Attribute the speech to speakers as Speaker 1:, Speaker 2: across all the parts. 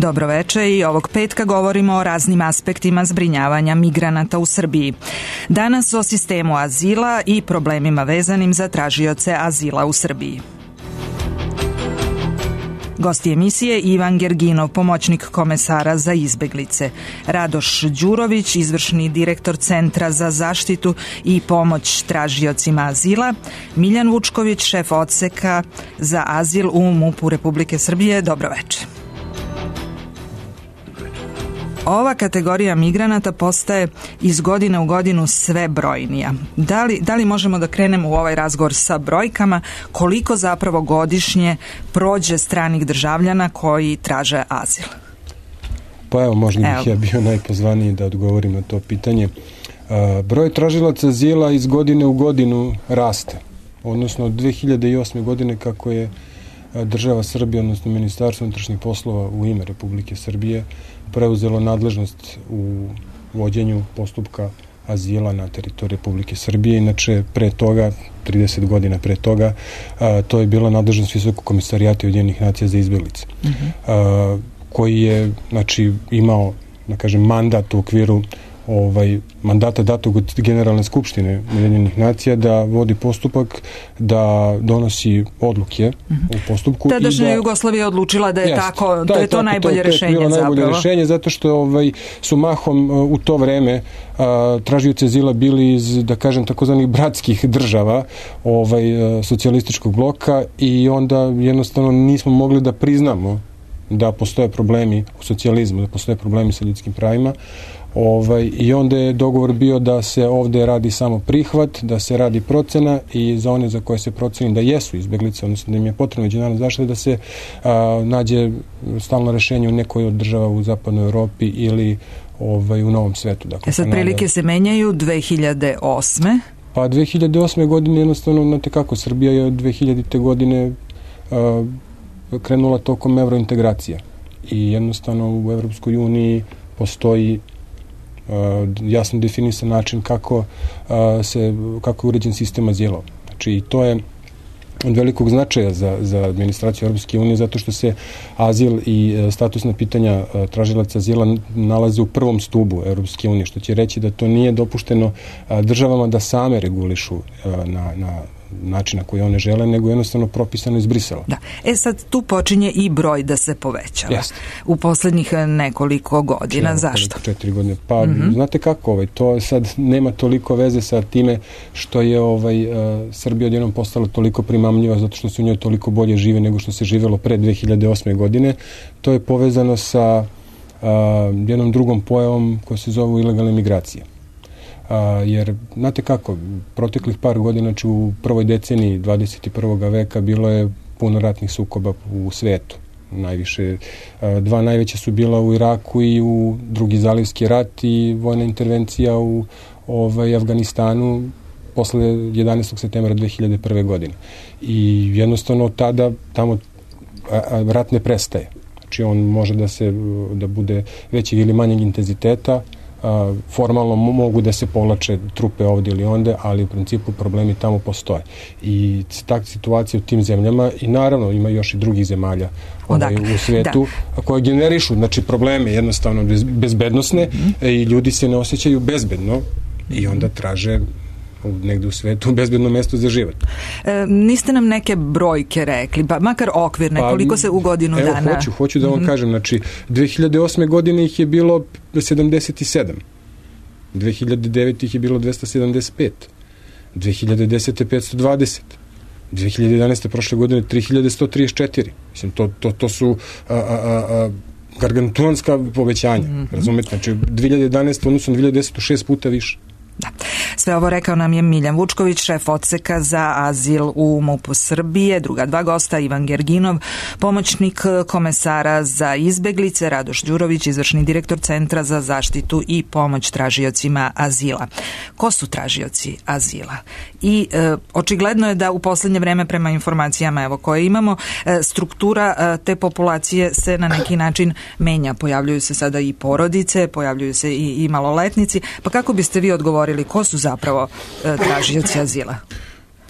Speaker 1: Dobroveče, i ovog petka govorimo o raznim aspektima zbrinjavanja migranata u Srbiji. Danas o sistemu azila i problemima vezanim za tražioce azila u Srbiji. Gosti emisije Ivan Gerginov, pomoćnik komesara za izbeglice, Radoš Đurović, izvršni direktor Centra za zaštitu i pomoć tražiocima azila, Miljan Vučković, šef odseka za azil u MUP-u Republike Srbije. Dobroveče. Ova kategorija migranata postaje iz godine u godinu sve brojnija. Da li možemo da krenemo u ovaj razgovor sa brojkama, koliko zapravo godišnje prođe stranih državljana koji traže azil?
Speaker 2: Pa evo, možda bih ja bio najpozvaniji da odgovorim na to pitanje. Broj tražilaca azila iz godine u godinu raste. Odnosno od 2008. godine, kako je država Srbije, odnosno Ministarstvo unutrašnjih poslova u ime Republike Srbije preuzelo nadležnost u vođenju postupka azila na teritoriji Republike Srbije. Inače, pre toga, 30 godina pre toga, to je bila nadležnost Visokog komesarijata Ujedinjenih nacija za izbeglice, koji je, znači, imao, da kažem, mandat u okviru mandata datog od Generalne skupštine Ujedinjenih nacija da vodi postupak, da donosi odluke u postupku.
Speaker 1: Tadašnja Jugoslavija je odlučila da je tako, da je to najbolje rešenje zapravo. To je bilo najbolje
Speaker 2: rešenje, zato što su mahom u to vreme tražioci azila bili iz, da kažem, takozvanih bratskih država socijalističkog bloka, i onda jednostavno nismo mogli da priznamo da postoje problemi u socijalizmu, da postoje problemi sa ljudskim pravima. I onda je dogovor bio da se ovde radi samo prihvat, da se radi procena, i za one za koje se proceni da jesu izbeglice, odnosno da im je potrebna međunarodna zaštita, da se nađe stalno rešenje u nekoj od država u zapadnoj Evropi ili u Novom svetu. Dakle,
Speaker 1: sad prilike se menjaju 2008.
Speaker 2: Pa 2008. godine jednostavno, znate kako, Srbija je od 2000. godine krenula tokom evrointegracija, i jednostavno u Evropskoj uniji postoji jasno definisan način kako je uređen sistem azila. Znači, i to je od velikog značaja za administraciju Europske unije, zato što se azil i statusna pitanja tražilaca azila nalaze u prvom stubu Europske unije, što će reći da to nije dopušteno državama da same regulišu na način na koji one žele, nego jednostavno propisano iz Brisela.
Speaker 1: Da. Sad tu počinje i broj da se povećava. U poslednjih nekoliko godina. Zašto?
Speaker 2: 4 godine. Pa, znate kako, to sad nema toliko veze sa time što je Srbija odjednom postala toliko primamljiva, zato što se u njoj toliko bolje žive nego što se živelo pre 2008. godine. To je povezano sa jednom drugom pojavom koja se zove ilegalne migracije. Jer, znate kako, proteklih par godina, znači u prvoj deceniji 21. veka bilo je puno ratnih sukoba u svetu. Najviše, dva najveća su bila u Iraku i u Drugi zalivski rat, i vojna intervencija u Afganistanu posle 11. septembra 2001. godine. I jednostavno tada tamo rat ne prestaje. Znači on može da bude većeg ili manjeg intenziteta. Formalno mogu da se povlače trupe ovdje ili onde, ali u principu problemi tamo postoje. I takva situacija u tim zemljama, i naravno ima još i drugih zemalja u svijetu koje generišu, znači, probleme jednostavno bezbednosne, i ljudi se ne osjećaju bezbedno i onda traže negde u svetu bezbedno mesto za život.
Speaker 1: Niste nam neke brojke rekli, pa makar okvirne, koliko se u godinu dana...
Speaker 2: Evo, hoću da vam kažem, znači 2008. godine ih je bilo 77, 2009. ih je bilo 275, 2010. 520, 2011. prošle godine 3134. Mislim, to su gargantuanska povećanja, razumete? Znači 2011. odnosno 2010. 6 puta više.
Speaker 1: Da. Sve ovo rekao nam je Miljan Vučković, šef odseka za azil u MUP-u Srbije. Druga dva gosta, Ivan Gerginov, pomoćnik komesara za izbeglice, Radoš Đurović, izvršni direktor Centra za zaštitu i pomoć tražiocima azila. Ko su tražioci azila? I očigledno je da u poslednje vreme, prema informacijama koje imamo, struktura te populacije se na neki način menja. Pojavljuju se sada i porodice, pojavljuju se i maloletnici. Pa kako biste vi odgovorili, ko su zapravo tražioci azila?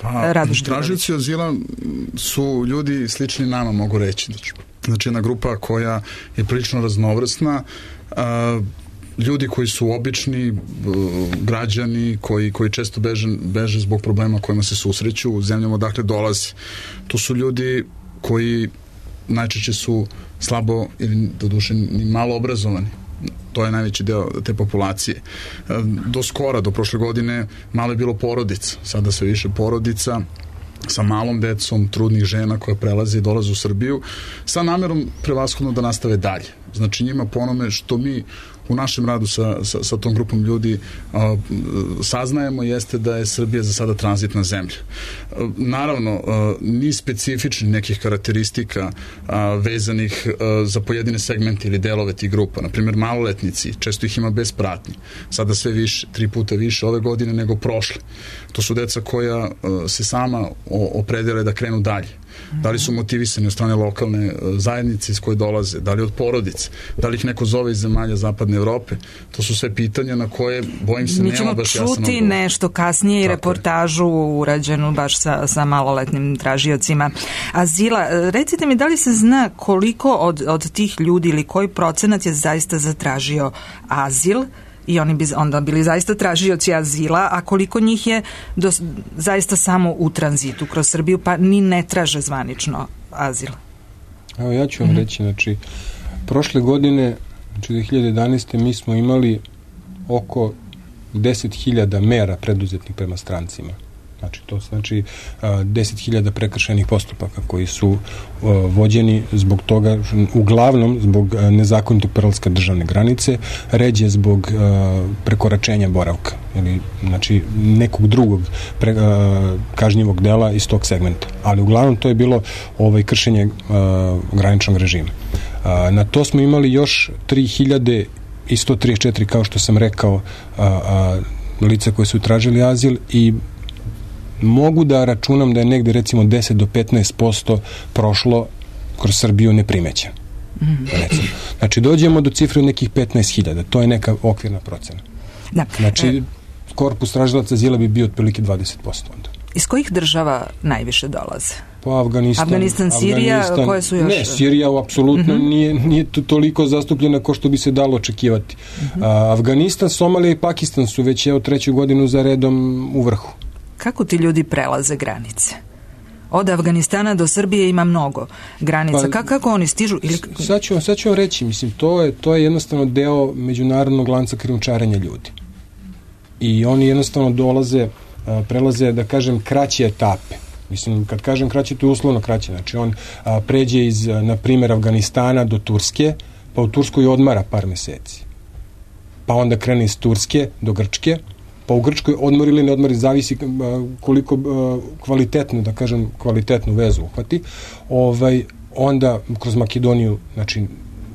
Speaker 3: Pa, tražioci azila su ljudi slični nama, mogu reći. Znači jedna grupa koja je prilično raznovrsna, ljudi koji su obični građani, koji često beže zbog problema kojima se susreću u zemljama odakle dolaze. To su ljudi koji najčešće su slabo ili doduše ni malo obrazovani. To je najveći deo te populacije. Do skora, do prošle godine, malo je bilo porodica. Sada sve više porodica sa malom decom, trudnih žena koja prelaze i dolaze u Srbiju, sa namerom prevashodno da nastave dalje. Znači njima po onome što mi u našem radu sa tom grupom ljudi saznajemo jeste da je Srbija za sada tranzitna zemlja. Naravno, ni specifični nekih karakteristika vezanih za pojedine segmente ili delove tih grupa. Naprimjer, maloletnici, često ih ima bez pratnje. Sada sve više, 3 puta više ove godine nego prošle. To su deca koja se sama opredele da krenu dalje. Da li su motivisani od strane lokalne zajednice iz koje dolaze, da li od porodice, da li ih neko zove iz zemalja Zapadne Evrope. To su sve pitanja na koje, bojim se, nema baš jasan odgovor.
Speaker 1: Mi ćemo čuti nešto kasnije i reportažu urađenu baš sa maloletnim tražiocima azila. Recite mi, da li se zna koliko od tih ljudi ili koji procenat je zaista zatražio azil i oni bi onda bili zaista tražioci azila, a koliko njih je zaista samo u tranzitu kroz Srbiju, pa ni ne traže zvanično azil?
Speaker 2: Evo, ja ću vam reći, znači, prošle godine, znači 2011. mi smo imali oko 10.000 mera preduzetnih prema strancima. Znači, to znači 10.000 prekršajnih postupaka koji su vođeni zbog toga, uglavnom zbog nezakonitog prelaska državne granice, ređe zbog prekoračenja boravka ili znači nekog drugog kažnjivog dela iz tog segmenta. Ali uglavnom to je bilo kršenje graničnog režima. Na to smo imali još 3.134, kao što sam rekao, lica koje su tražili azil i mogu da računam da je negde recimo 10 do 15% prošlo kroz Srbiju neprimećeno. Znači dođemo do cifre od nekih 15.000, to je neka okvirna procena. Da. Znači korpus tražilaca azila bi bio otprilike 20% onda.
Speaker 1: Iz kojih država najviše dolaze?
Speaker 2: Po Afganistan,
Speaker 1: Sirija, koje su još?
Speaker 2: Ne, Sirija apsolutno nije toliko zastupljena kao što bi se dalo očekivati. Afganistan, Somalija i Pakistan su već 3. godinu za redom u vrhu.
Speaker 1: Kako ti ljudi prelaze granice? Od Afganistana do Srbije ima mnogo granica. Kako oni stižu?
Speaker 2: Sad ću vam reći, mislim, to je jednostavno deo međunarodnog lanca krijumčarenja ljudi. I oni jednostavno prelaze, da kažem, kraće etape. Mislim, kad kažem kraće, to je uslovno kraće. Znači, on pređe iz, na primjer, Afganistana do Turske, pa u Turskoj odmara par meseci. Pa onda krene iz Turske do Grčke, pa u Grčkoj odmor ili ne odmor, zavisi koliko kvalitetnu vezu uhvati. Onda kroz Makedoniju, znači,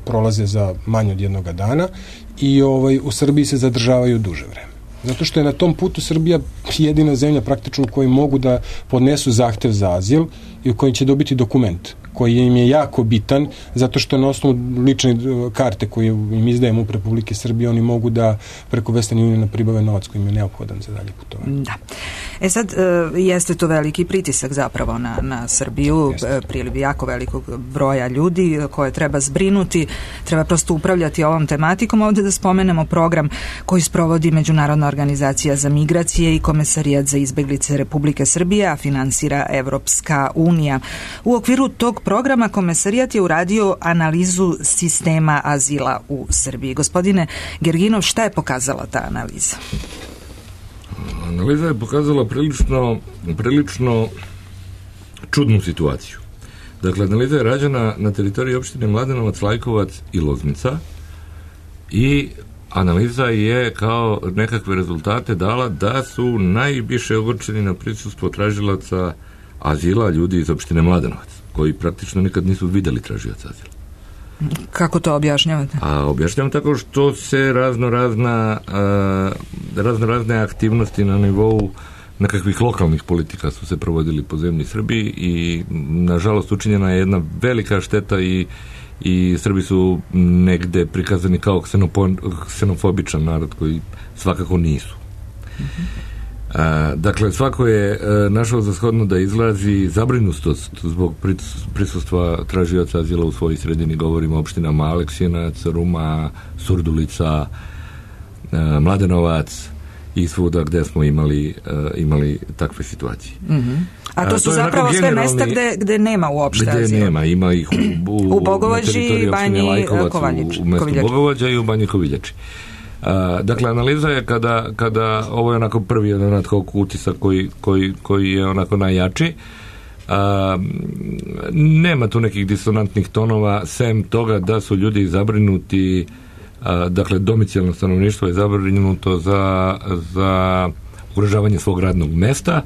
Speaker 2: prolaze za manje od 1 dana i u Srbiji se zadržavaju duže vreme. Zato što je na tom putu Srbija jedina zemlja praktično u kojoj mogu da podnesu zahtev za azil i u kojoj će dobiti dokument koji im je jako bitan, zato što na osnovu lične karte koje im izdajemo u Republike Srbije, oni mogu da preko Western Uniona pribave novac koji im je neophodan za dalje putovanje.
Speaker 1: Da. Sad, jeste to veliki pritisak zapravo na Srbiju, priliv jako velikog broja ljudi koje treba zbrinuti, treba prosto upravljati ovom tematikom. Ovdje da spomenemo program koji sprovodi Međunarodna organizacija za migracije i Komesarijat za izbeglice Republike Srbije, a finansira Evropska unija. U okviru tog programa Komesarijat je uradio analizu sistema azila u Srbiji. Gospodine Gerginov, šta je pokazala ta analiza?
Speaker 4: Analiza je pokazala prilično čudnu situaciju. Dakle, analiza je rađena na teritoriji opštine Mladenovac, Lajkovac i Loznica i analiza je kao nekakve rezultate dala da su najviše ogorčeni na prisustvo tražilaca azila ljudi iz opštine Mladenovac, koji praktično nikad nisu videli tražioca azila.
Speaker 1: Kako to objašnjavate?
Speaker 4: Objašnjavam tako što se raznorazne aktivnosti na nivou nekakvih lokalnih politika su se provodili po zemlji Srbiji i nažalost učinjena je jedna velika šteta i Srbi su negde prikazani kao ksenofobičan narod koji svakako nisu. Dakle, svako je našao za shodno da izrazi zabrinutost zbog prisustva tražioca azila u svojoj sredini. Govorimo o opštinama Aleksinac, Ruma, Surdulica, Mladenovac i svuda gde smo imali takve situacije.
Speaker 1: A to su zapravo sve mesta gde nema uopšte azila. Gde nema,
Speaker 4: ima ih
Speaker 1: u Bogovađi i Banji Koviljači.
Speaker 4: U mestu Bogovađa i u Banji Koviljači. Dakle, analiza je kada ovo je onako prvi jedan ad hoc utisak koji je onako najjači. Nema tu nekih disonantnih tonova, sem toga da su ljudi zabrinuti, dakle, domicilno stanovništvo je zabrinuto za ugrožavanje svog radnog mesta,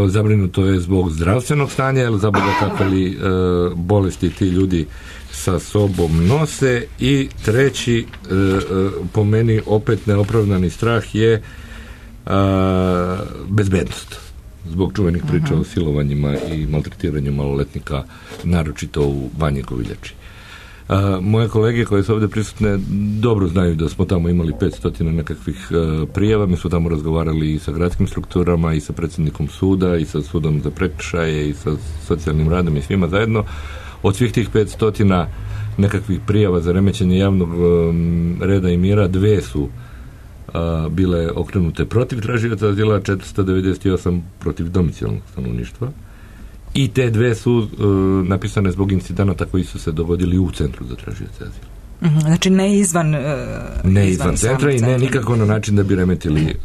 Speaker 4: zabrinuto je zbog zdravstvenog stanja, jer za Boga kakve li bolesti ti ljudi sa sobom nose. I treći, po meni opet neopravdani strah je bezbednost, zbog čuvenih priča o silovanjima i maltretiranju maloletnika, naročito u Banji Koviljači. Moje kolege koje su ovdje prisutne dobro znaju da smo tamo imali 500 nekakvih prijava. Mi smo tamo razgovarali i sa gradskim strukturama i sa predsjednikom suda i sa sudom za prekršaje i sa socijalnim radom i svima zajedno. Od svih tih 500 nekakvih prijava za remećenje javnog reda i mira, 2 su bile okrenute protiv tražioca azila, 498 protiv domicilnog stanovništva. I te 2 su napisane zbog incidenata koji su se dogodili u centru za tražioce azila.
Speaker 1: Znači ne izvan
Speaker 4: centra i ne nikako na način da bi remetili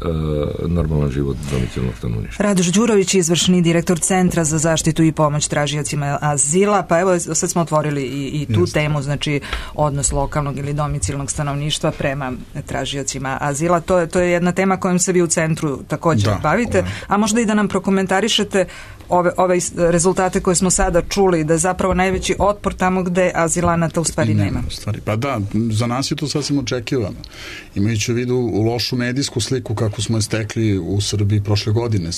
Speaker 4: normalan život domicilnog stanovništva.
Speaker 1: Radoš Đurović, izvršni direktor Centra za zaštitu i pomoć tražiocima azila. Pa evo, sad smo otvorili i tu temu, znači odnos lokalnog ili domicilnog stanovništva prema tražiocima azila. To je jedna tema kojom se vi u centru također bavite, a možda i da nam prokomentarišete ove rezultate koje smo sada čuli, da je zapravo najveći otpor tamo gde azilanata u stvari nema.
Speaker 3: Pa da, za nas je to sasvim očekivano. Imajući u vidu lošu medijsku sliku kako smo je stekli u Srbiji prošle godine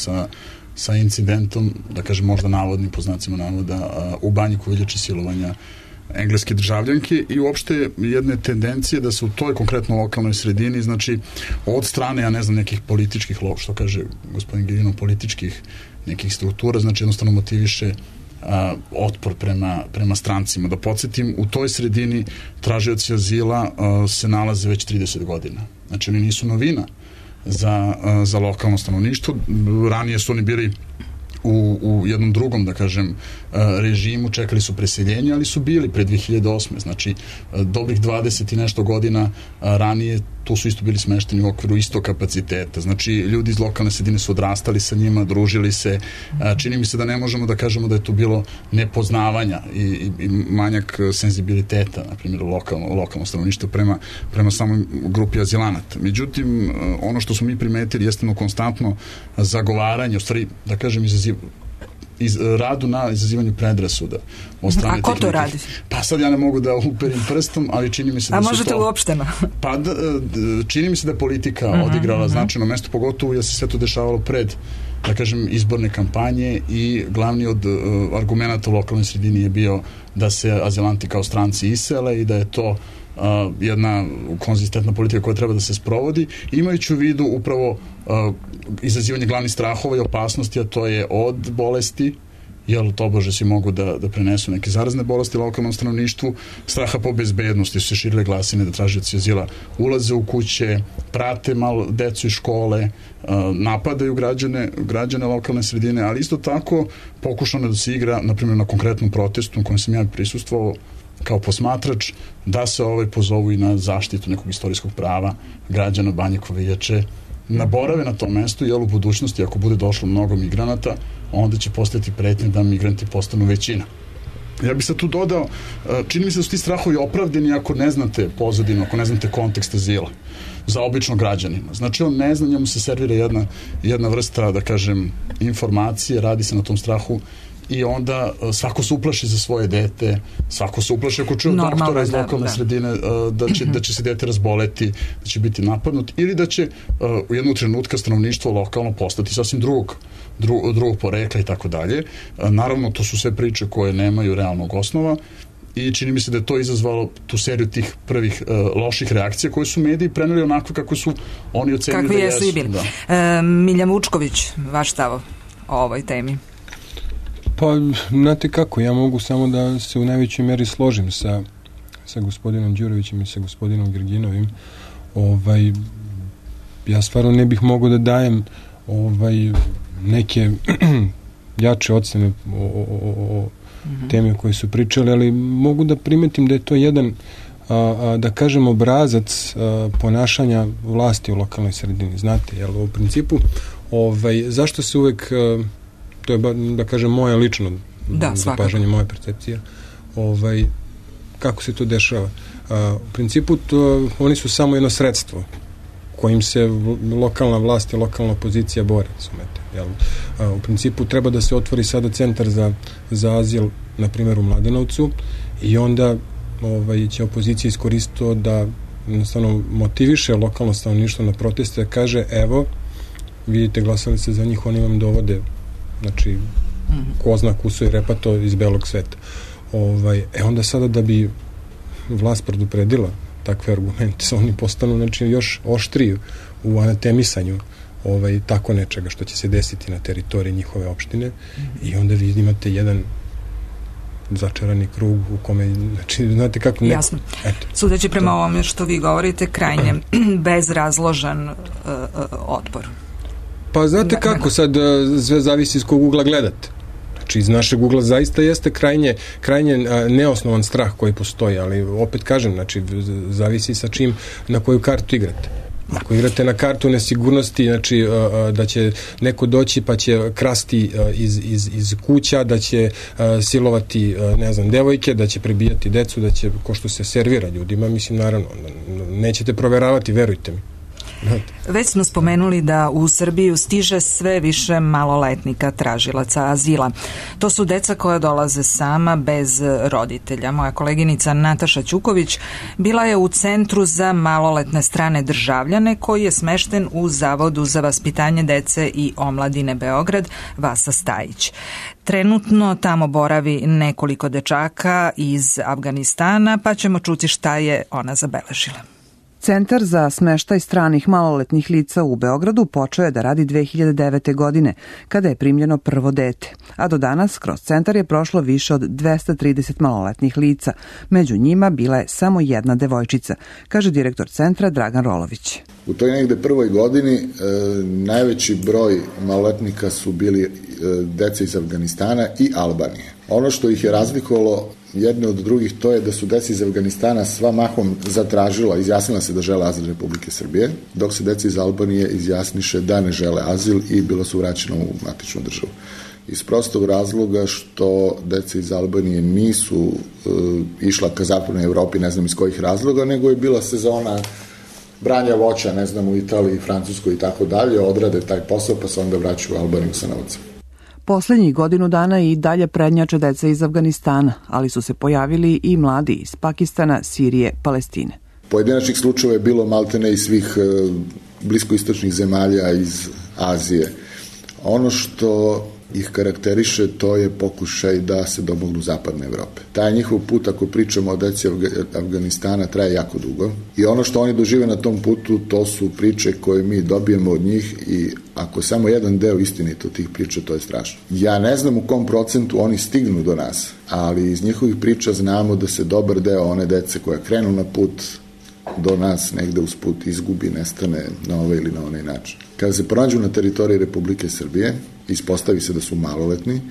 Speaker 3: sa incidentom, da kažem možda navodnim, po znacima navoda, u Banji Koviljači silovanja engleske državljanke i uopšte jedne tendencije da se u toj konkretno lokalnoj sredini, znači od strane, ja ne znam, nekih političkih, što kaže gospodin Giljinov, političkih nekih struktura, znači jednostavno motiviše otpor prema strancima. Da podsjetim, u toj sredini tražioci azila se nalaze već 30 godina. Znači oni nisu novina za lokalno stanovništvo. Ranije su oni bili u jednom drugom, da kažem, režimu, čekali su preseljenje, ali su bili pre 2008. Znači, dobrih 20 i nešto godina ranije tu su isto bili smešteni u okviru istog kapaciteta. Znači, ljudi iz lokalne sredine su odrastali sa njima, družili se. Čini mi se da ne možemo da kažemo da je tu bilo nepoznavanja i manjak senzibiliteta, na primjer, lokalno stanovništvo prema samoj grupi azilanata. Međutim, ono što smo mi primetili jeste konstantno zagovaranje, u stvari, da kažem, radu na izazivanju predrasuda.
Speaker 1: A ko to radi?
Speaker 3: Pa sad ja ne mogu da uperim prstom, ali čini mi se da su to...
Speaker 1: A možete uopšteno?
Speaker 3: Pa čini mi se da je politika odigrala značajno mesto, pogotovo jer se sve to dešavalo pred, da kažem, izborne kampanje i glavni od argumenta u lokalnoj sredini je bio da se azilanti kao stranci isele i da je to jedna konzistentna politika koja treba da se sprovodi, imajući u vidu upravo izazivanje glavnih strahova i opasnosti, a to je od bolesti, jer tobože si mogu da prenesu neke zarazne bolesti lokalnom stanovništvu, straha po bezbednosti, su se širile glasine da tražioci azila ulaze u kuće, prate malo decu iz škole, napadaju građane lokalne sredine, ali isto tako pokušano da se igra, na primjer, na konkretnom protestu u kojem sam ja prisustvovao kao posmatrač, da se pozovu i na zaštitu nekog istorijskog prava građana Banje Koviljače, naborave na tom mestu, jer u budućnosti, ako bude došlo mnogo migranata, onda će postati pretnje da migranti postanu većina. Ja bih sad tu dodao, čini mi se da su ti strahovi opravdeni ako ne znate pozadinu, ako ne znate kontekst azila za običnog građanina. Znači, on ne zna, njemu se servira jedna vrsta, da kažem, informacije, radi se na tom strahu i onda svako se uplaši za svoje dete, svako se uplaši ako čuje doktora iz lokalne sredine da će se dete razboleti, da će biti napadnut ili da će u jednog trenutka stanovništvo lokalno postati sasvim drugog porekla i tako dalje. Naravno, to su sve priče koje nemaju realnog osnova i čini mi se da je to izazvalo tu seriju tih prvih loših reakcija koje su mediji preneli onako kako su oni ocenili
Speaker 1: kakvi jesu i bili. Miljan Vučković, vaš stav o ovoj temi?
Speaker 2: Pa, znate kako, ja mogu samo da se u najvećoj meri složim sa gospodinom Đurovićem i sa gospodinom Gerginovim. Ja stvarno ne bih mogao da dajem neke jače ocene o teme koje su pričali, ali mogu da primetim da je to jedan da kažem obrazac ponašanja vlasti u lokalnoj sredini, znate, jer u principu zašto se uvek to je da kažem moje lično zapažanje, moja percepcija kako se to dešava. U principu oni su samo jedno sredstvo kojim se lokalna vlast i lokalna opozicija bore, sumete. U principu treba da se otvori sada centar za azil, na primjer u Mladenovcu, i onda će opozicija iskoristiti to da jednostavno motiviše lokalno stanovništvo na proteste, da kaže, evo, vidite, glasali se za njih, oni vam dovode, znači, ko zna kuso i repato iz belog sveta. Onda sada da bi vlast predupredila takve argumente, oni postanu, znači, još oštriji u anatemisanju tako nečega što će se desiti na teritoriji njihove opštine, i onda vi imate jedan začarani krug u kome, znači, znate kako...
Speaker 1: Jasno. Sudeći prema ovome što vi govorite, krajnje bezrazložan otpor.
Speaker 2: Pa znate kako, sad sve zavisi iz kog ugla gledate. Znači, iz našeg ugla zaista jeste krajnje neosnovan strah koji postoji, ali opet kažem, znači, zavisi sa čim, na koju kartu igrate. Ako igrate na kartu nesigurnosti, znači da će neko doći pa će krasti iz kuća, da će silovati, ne znam, devojke, da će prebijati decu, da će, ko što se servira ljudima, mislim, naravno, nećete proveravati, verujte mi.
Speaker 1: Već smo spomenuli da u Srbiju stiže sve više maloletnika tražilaca azila. To su deca koja dolaze sama bez roditelja. Moja koleginica Nataša Ćuković bila je u Centru za maloletne strane državljane koji je smešten u Zavodu za vaspitanje dece i omladine Beograd Vasa Stajić. Trenutno tamo boravi nekoliko dečaka iz Afganistana, pa ćemo čuti šta je ona zabeležila.
Speaker 5: Centar za smeštaj stranih maloletnih lica u Beogradu počeo je da radi 2009. godine, kada je primljeno prvo dete, a do danas kroz centar je prošlo više od 230 maloletnih lica. Među njima bila je samo jedna devojčica, kaže direktor centra Dragan Rolović.
Speaker 6: U toj negde prvoj godini najveći broj maloletnika su bili deca iz Afganistana i Albanije. Ono što ih je razlikovalo jedne od drugih, to je da su deca iz Afganistana sva mahom zatražila, izjasnila se da žele azil Republike Srbije, dok se deca iz Albanije izjasniše da ne žele azil i bilo su vraćeno u matičnu državu. Iz prostog razloga što deca iz Albanije nisu išla ka zapadnoj Evropi, ne znam iz kojih razloga, nego je bila sezona branja voća, ne znam, u Italiji, Francuskoj i tako dalje, odrade taj posao pa se onda vraćaju u Albaniju sa novcem.
Speaker 5: Poslednjih godinu dana i dalje prednjače deca iz Afganistana, ali su se pojavili i mladi iz Pakistana, Sirije, Palestine.
Speaker 6: Pojedinačnih slučajeva je bilo maltene iz svih bliskoistočnih zemalja iz Azije. Ono što ih karakteriše, to je pokušaj da se domognu zapadne Evrope. Taj njihov put, ako pričamo o deci Afganistana, traje jako dugo i ono što oni dožive na tom putu, to su priče koje mi dobijemo od njih i ako samo jedan deo istinito tih priča, to je strašno. Ja ne znam u kom procentu oni stignu do nas, ali iz njihovih priča znamo da se dobar deo one dece koja krenu na put do nas negde uz put izgubi, nestane na ovaj ili na onaj način. Kada se pronađu na teritoriji Republike Srbije, ispostavi se da su maloletni,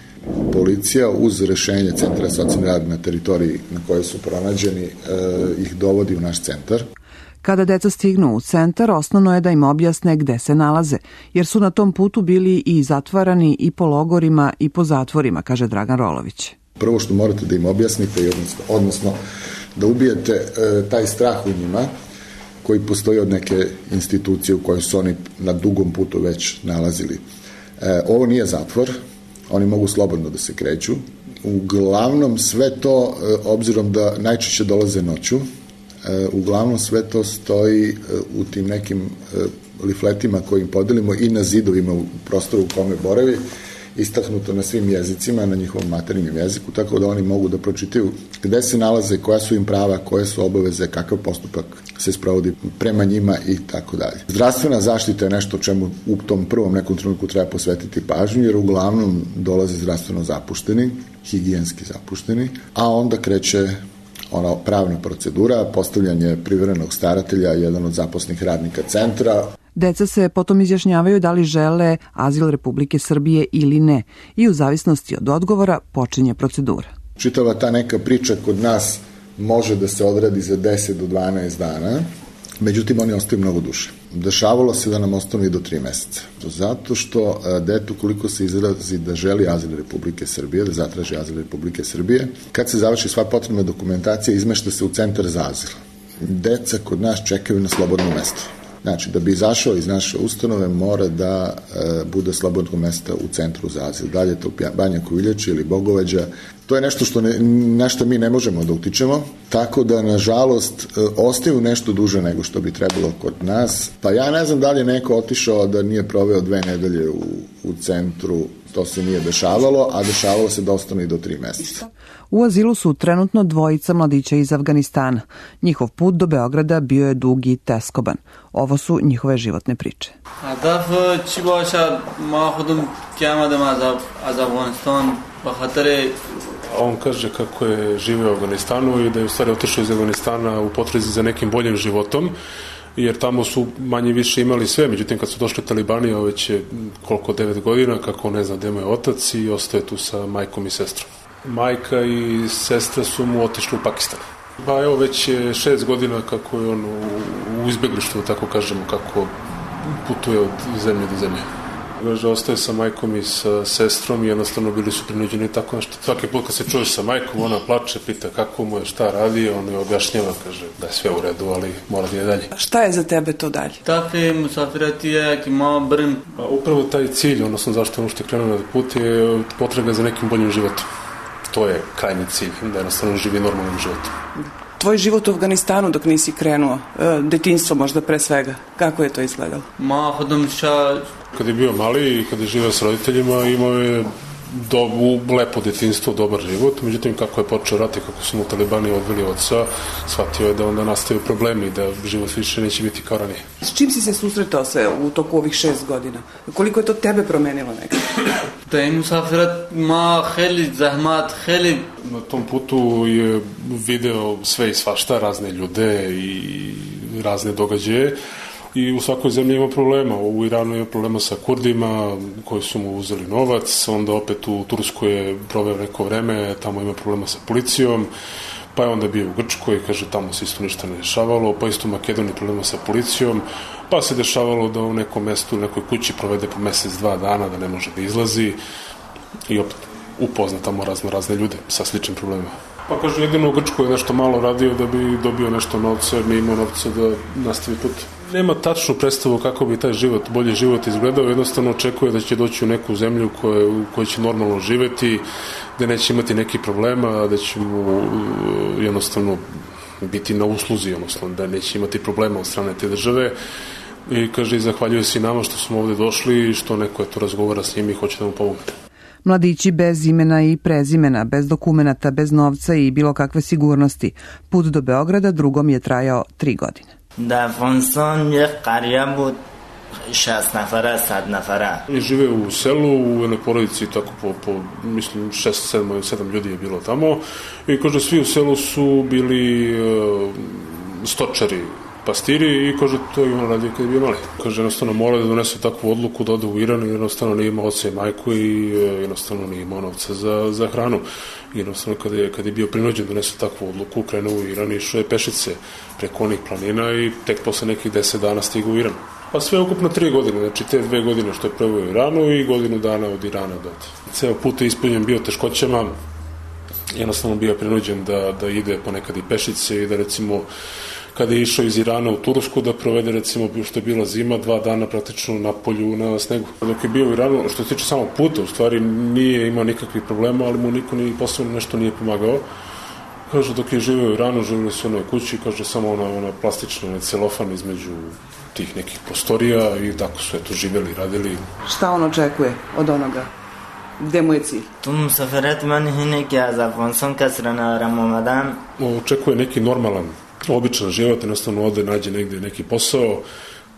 Speaker 6: policija uz rešenje Centra socijalne rada na teritoriji na kojoj su pronađeni ih dovodi u naš centar.
Speaker 5: Kada deca stignu u centar, osnovno je da im objasne gde se nalaze, jer su na tom putu bili i zatvarani i po logorima i po zatvorima, kaže Dragan Rolović.
Speaker 6: Prvo što morate da im objasnite, odnosno da ubijete taj strah u njima koji postoji od neke institucije u kojoj su oni na dugom putu već nalazili. Ovo nije zatvor, oni mogu slobodno da se kreću. Uglavnom sve to, obzirom da najčešće dolaze noću, uglavnom sve to stoji u tim nekim lifletima koje im podelimo i na zidovima u prostoru u kome boravi istaknuto na svim jezicima, na njihovom materinjem jeziku, tako da oni mogu da pročitaju gde se nalaze, koja su im prava, koje su obaveze, kakav postupak se sprovodi prema njima i tako dalje. Zdravstvena zaštita je nešto čemu u tom prvom nekom trenutku treba posvetiti pažnju, jer uglavnom dolaze zdravstveno zapušteni, higijenski zapušteni, a onda kreće ona pravna procedura, postavljanje privremenog staratelja, jedan od zaposlenih radnika centra.
Speaker 5: Deca se potom izjašnjavaju da li žele azil Republike Srbije ili ne i u zavisnosti od odgovora počinje procedura.
Speaker 6: Čitava ta neka priča kod nas može da se odradi za 10 do 12 dana, međutim oni ostaju mnogo duže. Dešavalo se da nam ostanu i do 3 meseca. Zato što detu koliko se izrazi da želi azil Republike Srbije, da zatraži azil Republike Srbije, kad se završi sva potrebna dokumentacija, izmešta se u centar za azil. Deca kod nas čekaju na slobodno mesto. Znači, da bi izašao iz naše ustanove mora da bude slobodno mesta u centru za azil. Dalje to Banja Koviljača ili Bogovađa. To je nešto na što mi ne možemo da utičemo, tako da, nažalost, ostaju nešto duže nego što bi trebalo kod nas. Pa ja ne znam da li je neko otišao da nije proveo 2 nedelje u centru, to se nije dešavalo, a dešavalo se da ostane i do 3 meseca.
Speaker 5: U azilu su trenutno 2 mladića iz Afganistana. Njihov put do Beograda bio je dug i teskoban. Ovo su njihove životne priče.
Speaker 7: On kaže kako je živio u Afganistanu i da je u stvari otišao iz Afganistana u potrazi za nekim boljim životom, jer tamo su manje više imali sve, međutim kad su došli talibani, već je 9 godina, kako ne zna gde mu je otac i ostaje tu sa majkom i sestrom. Majka i sestra su mu otišli u Pakistan. Pa evo već je 6 godina kako je on u izbeglištvu, tako kažemo, kako putuje od zemlje do zemlje. Kaže, ostaje sa majkom i sa sestrom i jednostavno bili su prinuđeni tako nešto. Svaki put kad se čuje sa majkom, ona plače, pita kako mu je, šta radi, on je objašnjava, kaže da je sve u redu, ali mora da je dalje.
Speaker 5: Šta je za tebe to dalje?
Speaker 7: Upravo taj cilj, odnosno zašto je ono što je krenuo na put, je potraga za nekim boljim životom. To je krajnji cilj, da jednostavno živi normalnim životom.
Speaker 8: Tvoj život u Afganistanu dok nisi krenuo, detinjstvo možda pre svega, kako je to izgledalo?
Speaker 7: Kad je bio mali i kad je živio s roditeljima, imao je lepo detinjstvo, dobar život, međutim kako je počeo rat i kako su mu talibani odveli oca, shvatio je da onda nastaju problemi i da život više neće biti kao ranije.
Speaker 8: S čim si se susretao se u toku ovih 6 godina? Koliko je to tebe promenilo nekako?
Speaker 7: Na tom putu je video sve i svašta, razne ljude i razne događaje. I u svakoj zemlji ima problema. U Iranu ima problema sa Kurdima koji su mu uzeli novac, onda opet u Turskoj je proveo neko vreme, tamo ima problema sa policijom, pa je onda bio u Grčkoj, kaže tamo se isto ništa ne dešavalo, pa isto u Makedoniji problema sa policijom, pa se dešavalo da u nekom mestu, u nekoj kući provede po 1-2 dana, da ne može da izlazi i opet upozna tamo razne ljude sa sličnim problemima. Pa kaže, jedino u Grčkoj je nešto malo radio da bi dobio nešto novca, jer nije imao novca da nastavi put. Nema tačnu predstavu kako bi taj bolji život izgledao, jednostavno očekuje da će doći u neku zemlju u kojoj će normalno živeti, da neće imati nekih problema, da će mu jednostavno biti na usluzi, odnosno da neće imati problema od strane te države. I kaže, zahvaljuje se i nama što smo ovde došli i što neko to razgovara s njim i hoće da mu pomogne.
Speaker 5: Mladići bez imena i prezimena, bez dokumenata, bez novca i bilo kakve sigurnosti. Put do Beograda drugom je trajao 3 godine.
Speaker 7: I žive u selu, u jednoj porodici, tako mislim 6-7 ljudi je bilo tamo i kaže svi u selu su bili stočari, pastiri i kaže to je on radio kada je bio mali. Kaže jednostavno mora da donese takvu odluku da ode u Iran i jednostavno nije imao oca i majku i jednostavno nije imao novca za hranu. Jednostavno kada je bio prinuđen da donese takvu odluku, krenuo u Iran i išao je pešice preko onih planina i tek posle nekih 10 dana stigao u Iran. Pa sve ukupno 3 godine, znači te 2 godine što je proveo u Iranu i godinu dana od Irana do ovde. Ceo put je ispunjen bio teškoćama, jednostavno bio prinuđen da ide ponekad i pešice i da recimo kada je išao iz Irana u Tursku da provede recimo što je bila zima 2 dana praktično na polju na snegu. Dok je bio u Iranu, što se tiče samog puta, u stvari nije imao nikakvih problema, ali mu niko ni posebno nešto nije pomagao. Kaže dok je živio u Iranu, živili su u onoj kući, kaže samo ona plastična celofan između tih nekih prostorija i tako su eto živjeli, radili.
Speaker 8: Šta on očekuje od onoga Gde mu je cilj?
Speaker 9: تو مسافرت من اینه که از افغانستان کس را ندارم آمدن.
Speaker 7: Očekuje neki normalan, običan život, jednostavno ode, nađe negde neki posao,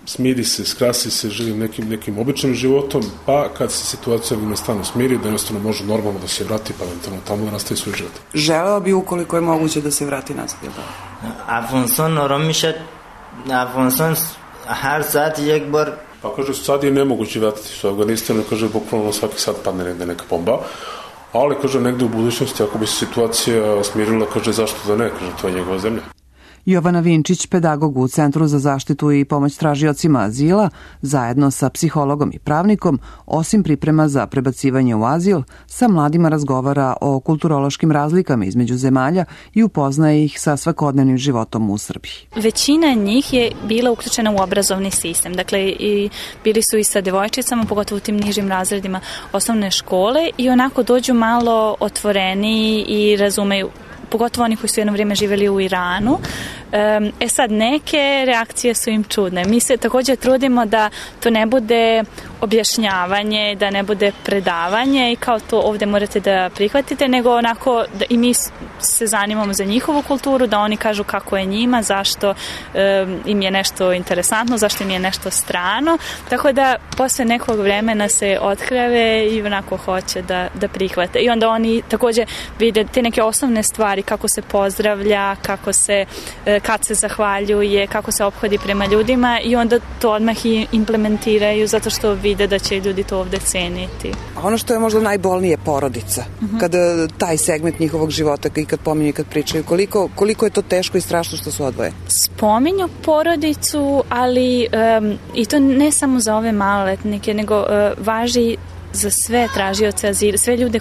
Speaker 7: smiri se, skrasi se, živi nekim običnim životom, pa kad se situacija u Afganistanu smiri, da jednostavno može normalno da se vrati, pa eventualno tamo da nastavi svoj život.
Speaker 8: Želeo bi ukoliko je moguće da se vrati nazad, je li tako?
Speaker 9: افغانستان آرام میشه. افغانستان هر ساعت یک بار.
Speaker 7: Pa kaže, sad je nemoguće vratiti se u Afganistanu, kaže, bukvalno svaki sat padne negde neka bomba, ali kaže, negde u budućnosti, ako bi se situacija smirila, kaže, zašto da ne, kaže, to je njegova zemlja.
Speaker 5: Jovana Vinčić, pedagog u Centru za zaštitu i pomoć tražiocima azila, zajedno sa psihologom i pravnikom, osim priprema za prebacivanje u azil, sa mladima razgovara o kulturološkim razlikama između zemalja i upoznaje ih sa svakodnevnim životom u Srbiji.
Speaker 10: Većina njih je bila uključena u obrazovni sistem, dakle i bili su i sa devojčicama, pogotovo u tim nižim razredima osnovne škole i onako dođu malo otvoreniji i razumeju, pogotovo oni koji su jedno vrijeme živjeli u Iranu. Sad, neke reakcije su im čudne. Mi se također trudimo da to ne bude objašnjavanje, da ne bude predavanje i kao to ovdje morate da prihvatite, nego onako da i mi se zanimamo za njihovu kulturu, da oni kažu kako je njima, zašto im je nešto interesantno, zašto im je nešto strano. Tako da posle nekog vremena se otkreve i onako hoće da prihvate. I onda oni također vide te neke osnovne stvari, kako se pozdravlja, kako se kad se zahvaljuje, kako se ophodi prema ljudima i onda to odmah i implementiraju zato što vide da će ljudi to ovde ceniti.
Speaker 8: A ono što je možda najbolnije je porodica. Kada taj segment njihovog života i kad pominju i kad pričaju, koliko je to teško i strašno što su odvoje?
Speaker 10: Spominju porodicu, ali i to ne samo za ove maloletnike, nego važi za sve tražioce azila, sve ljude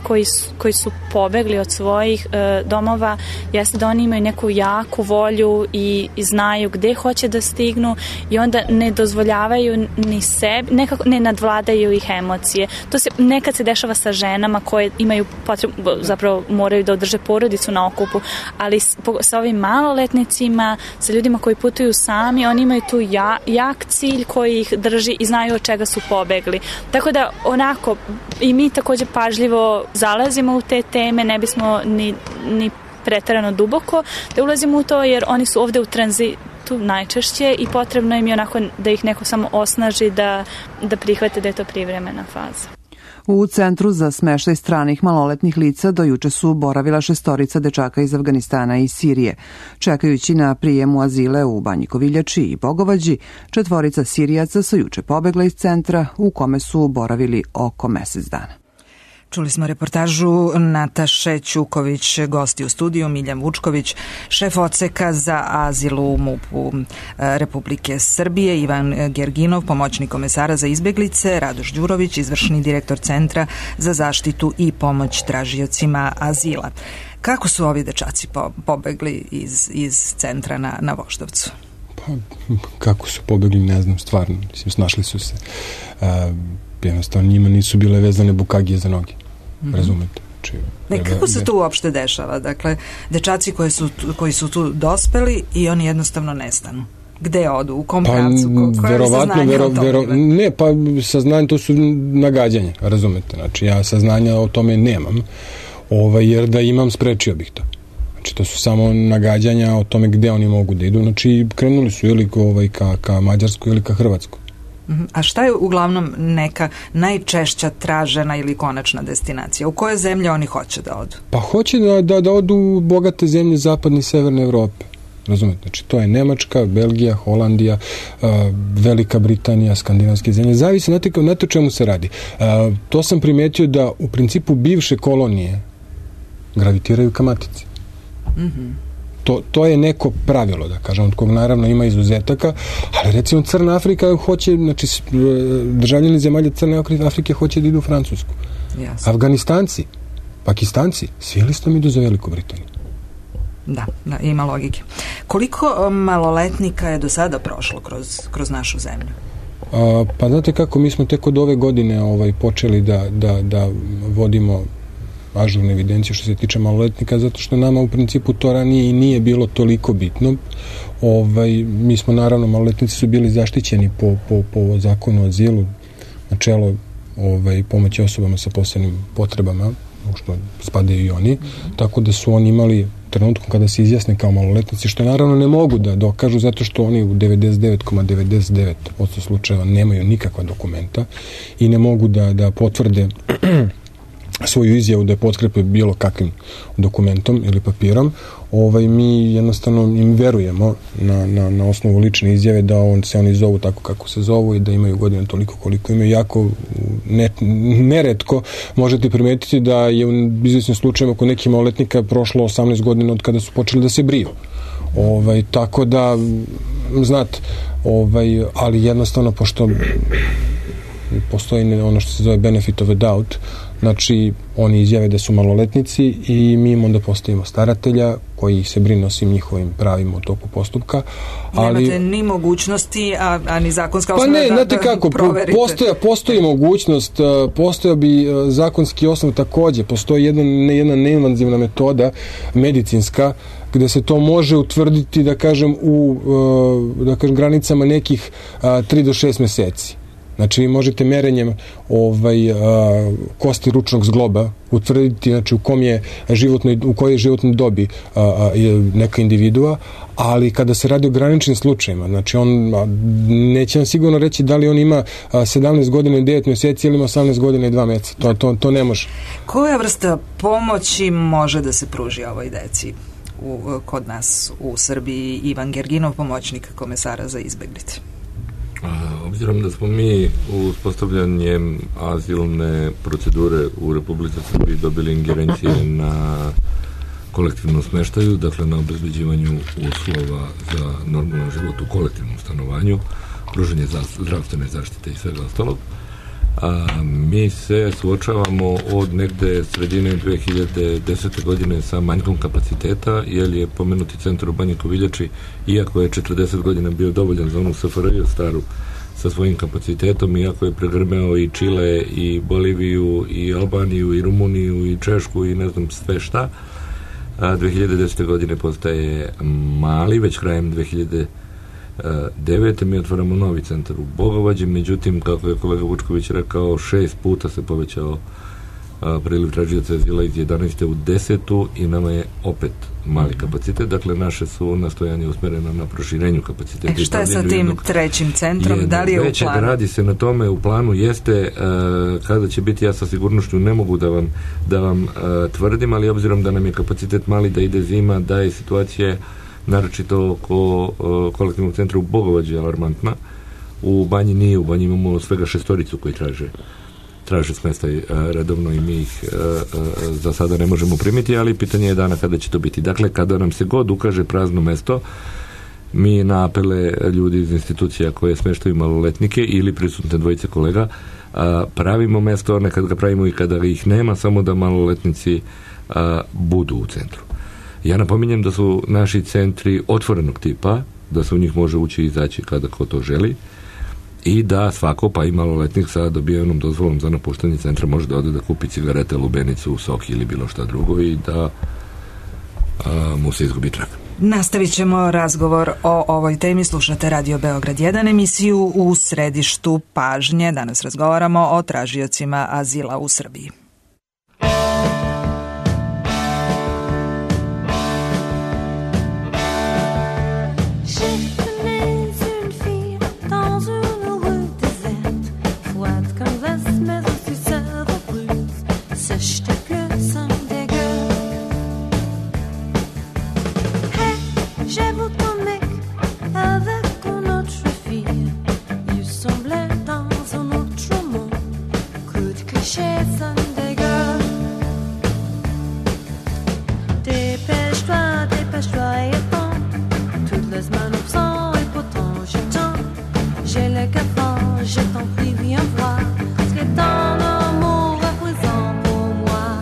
Speaker 10: koji su pobegli od svojih domova, jeste da oni imaju neku jaku volju i znaju gde hoće da stignu i onda ne dozvoljavaju ni sebi, nekako ne nadvladaju ih emocije. To se nekad se dešava sa ženama koje imaju potrebu, zapravo moraju da održe porodicu na okupu, ali sa ovim maloletnicima, sa ljudima koji putuju sami, oni imaju tu jak cilj koji ih drži i znaju od čega su pobegli. Tako da onako i mi također pažljivo zalazimo u te teme, ne bismo ni preterano duboko da ulazimo u to, jer oni su ovde u tranzitu najčešće i potrebno im je onako da ih neko samo osnaži da prihvate da je to privremena faza.
Speaker 5: U Centru za smeštaj stranih maloletnih lica do juče su boravila 6 dečaka iz Afganistana i Sirije. Čekajući na prijem u azile u Banji Koviljači i Bogovađi, 4 Sirijaca su juče pobegla iz centra u kome su boravili oko mesec dana.
Speaker 1: Čuli smo reportažu Nataše Ćuković, gosti u studiju Miljan Vučković, šef odseka za azil u MUP-u Republike Srbije, Ivan Gerginov, pomoćnik komesara za izbeglice, Radoš Đurović, izvršni direktor Centra za zaštitu i pomoć tražiocima azila. Kako su ovi dečaci pobegli iz centra na Voždovcu?
Speaker 2: Pa, kako su pobegli, ne znam, stvarno. Mislim, snašli su se. Jednostavno, njima nisu bile vezane bukagije za noge. Razumete?
Speaker 1: Kako se to uopšte dešava? Dakle, dečaci koji su tu dospeli i oni jednostavno nestanu. Gde odu? U kom pravcu? Koje je saznanje o tome?
Speaker 2: Ne, pa saznanje to su nagađanja, razumete? Znači, ja saznanja o tome nemam, jer da imam, sprečio bih to. Znači, to su samo nagađanja o tome gde oni mogu da idu. Znači, krenuli su ili ka Mađarsku ili ka Hrvatsku.
Speaker 1: A šta je uglavnom neka najčešća tražena ili konačna destinacija? U koje zemlje oni hoće da odu?
Speaker 2: Pa hoće da odu u bogate zemlje zapadne i severne Evrope. Razumete? Znači, to je Nemačka, Belgija, Holandija, Velika Britanija, skandinavske zemlje. Zavisi, znate o čemu se radi. To sam primetio da u principu bivše kolonije gravitiraju ka matici. To je neko pravilo, da kažem, od kog naravno ima izuzetaka, ali recimo Crna Afrika hoće, znači državljani zemalja Crne Afrike hoće da idu u Francusku. Jasne. Afganistanci, Pakistanci, svi listom idu za Veliku Britaniju.
Speaker 1: Da, ima logike. Koliko maloletnika je do sada prošlo kroz našu zemlju?
Speaker 2: Pa znate kako, mi smo tek od ove godine počeli da vodimo ažurnu evidenciju što se tiče maloletnika, zato što nama u principu to ranije i nije bilo toliko bitno. Mi smo naravno, maloletnici su bili zaštićeni po zakonu o azilu, načelo pomoći osobama sa posebnim potrebama, u što spadaju i oni, tako da su oni imali trenutku kada se izjasne kao maloletnici, što naravno ne mogu da dokažu zato što oni u 99,99% slučajeva nemaju nikakva dokumenta i ne mogu da potvrde svoju izjavu da je potkrepe bilo kakvim dokumentom ili papirom. Mi jednostavno im verujemo na osnovu lične izjave da se oni zovu tako kako se zovu i da imaju godine toliko koliko imaju. Jako neretko možete primetiti da je u izvesnim slučajima kod nekih maloletnika prošlo 18 godina od kada su počeli da se briju. Tako da, znate, ali jednostavno, pošto postoji ono što se zove benefit of a doubt, znači oni izjave da su maloletnici i mi im onda postavimo staratelja koji se brine o svim njihovim pravima u toku postupka.
Speaker 1: Nemate ni mogućnosti, a ni zakonska
Speaker 2: osnova da proverite. Postoji mogućnost, postoja bi zakonski osnov takođe, postoji jedna neinvazivna metoda medicinska gde se to može utvrditi, da kažem, u granicama nekih 3 do 6 meseci. Znači, vi možete merenjem kosti ručnog zgloba utvrditi, znači, u kojoj životnoj dobi neka individua, ali kada se radi o graničnim slučajima, znači, neće vam sigurno reći da li on ima 17 godina i 9 meseci ili ima 18 godina i 2 meseca. To ne može.
Speaker 1: Koja vrsta pomoći može da se pruži ovoj deci kod nas u Srbiji? Ivan Gerginov, pomoćnik komesara za izbeglice.
Speaker 4: Obzirom da smo mi uspostavljanjem azilne procedure u Republici Srbiji dobili ingerencije na kolektivnom smeštaju, dakle na obezbeđivanju uslova za normalan život u kolektivnom stanovanju, pružanje zdravstvene zaštite i svega ostalog, mi se suočavamo od negde sredine 2010. godine sa manjkom kapaciteta, jer je pomenuti centar u Banji Koviljači, iako je 40 godina bio dovoljan za onu SFRJ staru sa svojim kapacitetom, iako je pregrmeo i Čile, i Boliviju, i Albaniju, i Rumuniju, i Češku, i ne znam sve šta, 2010. godine postaje mali, već krajem 2009. mi otvaramo novi centar u Bogovađi, međutim, kako je kolega Vučković rekao, 6 puta se povećao priliv tražioca azila iz 11. u 10. i nama je opet mali kapacitet, dakle naše su nastojanje usmereno na proširenju kapaciteta.
Speaker 1: Šta je sa tim trećim centrom? Da li je u planu?
Speaker 4: Radi se na tome, u planu jeste, kada će biti, ja sa sigurnošću ne mogu da vam tvrdim, ali obzirom da nam je kapacitet mali, da ide zima, da je situacija naročito oko kolektivnog centra u Bogovađi alarmantna. U Banji nije, u Banji imamo svega 6 koji traže smestaj redovno i mi ih za sada ne možemo primiti, ali pitanje je dana kada će to biti. Dakle, kada nam se god ukaže prazno mesto, mi na apele ljudi iz institucija koje smeštaju maloletnike ili prisutne dvojice kolega pravimo mesto, nekad ga pravimo i kada ih nema, samo da maloletnici budu u centru. Ja napominjem da su naši centri otvorenog tipa, da se u njih može ući i izaći kada ko to želi i da svako, pa i maloletnik sa dobijenom dozvolom za napuštanje centra može da ode da kupi cigarete, lubenicu, sok ili bilo šta drugo i da mu se izgubi trag.
Speaker 1: Nastavit ćemo razgovor o ovoj temi. Slušate Radio Beograd 1, emisiju U središtu pažnje. Danas razgovaramo o tražiocima azila u Srbiji.
Speaker 11: Je t'en prie, viens voir ce que ton amour représente pour moi.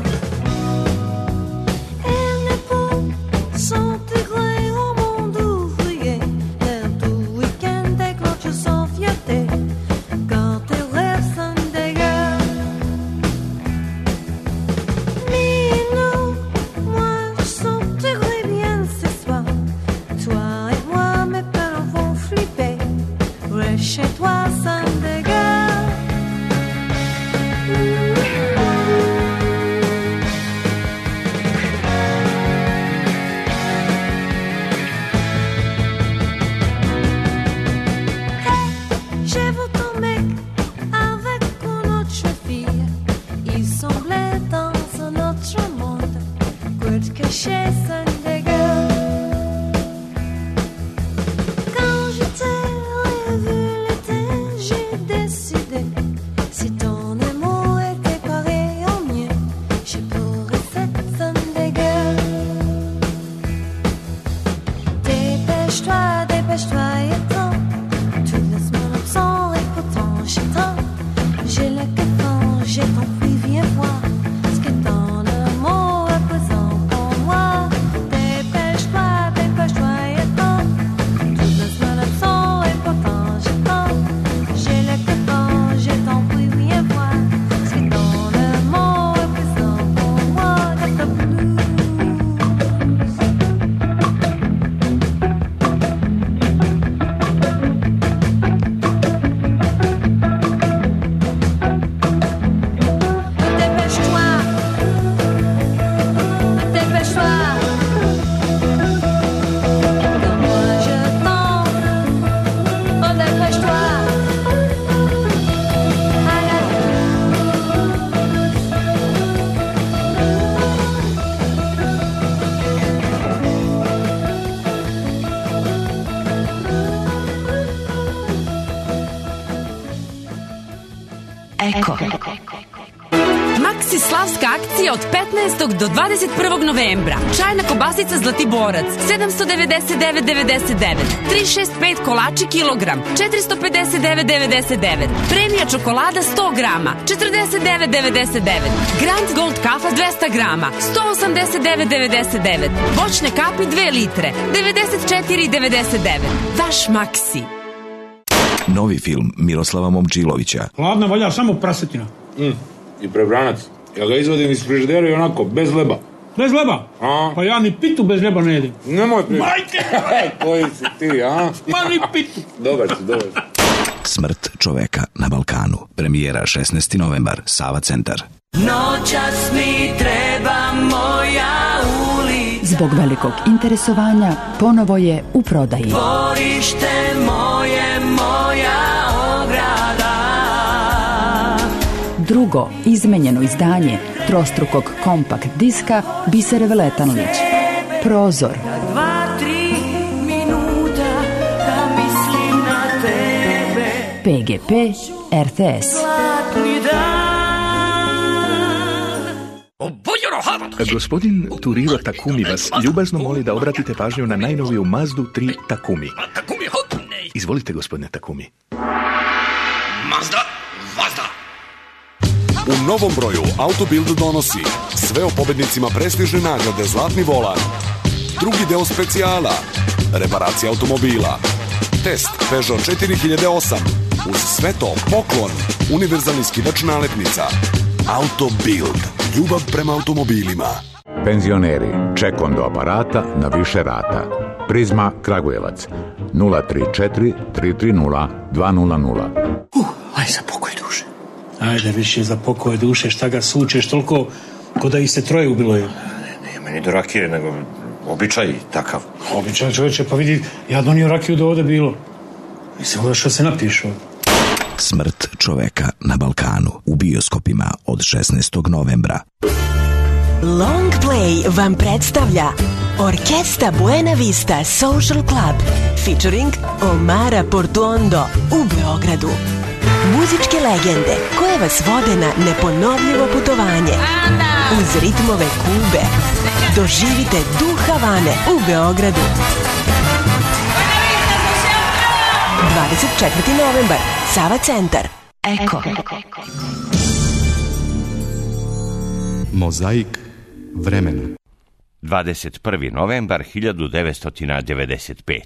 Speaker 11: Maxi slavska akcija od 15. do 21. novembra. Čajna kobasica Zlatiborac 799,99. 365 kolači kilogram 459,99. Premija čokolada 100 grama 49,99. Grand Gold kafa 200 grama 189,99. Voćne kapi 2 litre 94,99. Vaš Maxi.
Speaker 12: Novi film Miroslava Momčilovića.
Speaker 13: Hladna valja samo prasetina. I prebranac. Ja ga izvadim iz frižidera i onako, bez leba. Bez leba? Pa ja ni pitu bez leba ne jedem. Nemoj pričati. Majke! Koji si ti, a? Ma ni pitu. Dobar si.
Speaker 12: Smrt čoveka na Balkanu. Premijera 16. novembar, Sava centar.
Speaker 14: Noćas mi treba moja ulica.
Speaker 15: Zbog velikog interesovanja ponovo je u prodaji.
Speaker 14: Dvorište moje, moja ograda.
Speaker 15: Drugo izmenjeno izdanje trostrukog kompakt diska Bisere Veletanlić. Prozor.
Speaker 14: 2-3 minuta da mislim na tebe.
Speaker 15: PGP RTS.
Speaker 14: Zlatni dan.
Speaker 16: Gospodin Turiro Takumi vas ljubazno moli da obratite pažnju na najnoviju Mazdu 3 Takumi. Izvolite, gospodine Takumi.
Speaker 17: Mazda, Vazda. U novom broju Autobild donosi sve o pobednicima prestižne nagrade Zlatni volan, drugi deo specijala, reparacija automobila, test Peugeot 4008, uz sve to poklon, univerzalni skidač nalepnica. Autobild, ljubav prema automobilima.
Speaker 18: Penzioneri, čekom do aparata na više rata. Prizma Kragujevac 034 330 200.
Speaker 13: Aj za pokoj duše. Ajde više za pokoj duše, šta ga sučeš toliko ko da ih se troje ubilo je.
Speaker 19: Nije meni do rakije, nego običaj takav.
Speaker 13: Običaj čovječe, pa vidi, ja donio rakiju da ovde bilo. Mislim da što se napišu.
Speaker 12: Smrt čoveka na Balkanu u bioskopima od 16. novembra.
Speaker 20: Long Play vam predstavlja Orkesta Buena Vista Social Club featuring Omara Portuondo u Beogradu. Muzičke legende koje vas vode na neponovljivo putovanje uz ritmove Kube. Doživite duh Havane u Beogradu. 24. novembar, Sava centar. Eko.
Speaker 21: Mozaik vremena.
Speaker 22: 21. novembar 1995.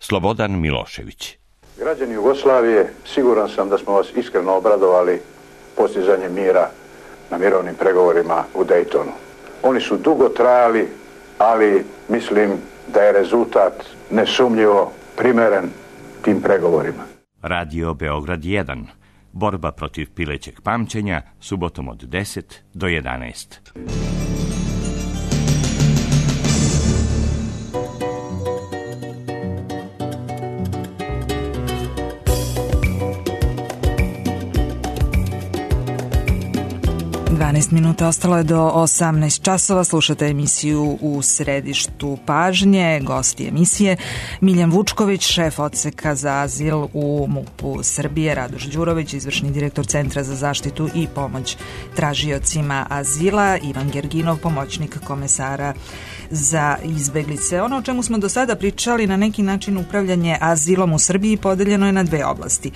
Speaker 22: Slobodan Milošević.
Speaker 23: Građani Jugoslavije, siguran sam da smo vas iskreno obradovali postizanjem mira na mirovnim pregovorima u Dejtonu. Oni su dugo trajali, ali mislim da je rezultat nesumnjivo primeren tim pregovorima.
Speaker 22: Radio Beograd 1. Borba protiv pilećeg pamćenja, subotom od 10 do 11.
Speaker 1: Minuta ostalo je do 18 časova. Slušate emisiju U središtu pažnje. Gosti emisije Miljan Vučković, šef odseka za azil u MUP-u Srbije, Radoš Đurović, izvršni direktor Centra za zaštitu i pomoć tražiocima azila, Ivan Gerginov, pomoćnik komesara za izbeglice. Ono o čemu smo do sada pričali, na neki način upravljanje azilom u Srbiji podeljeno je na dve oblasti.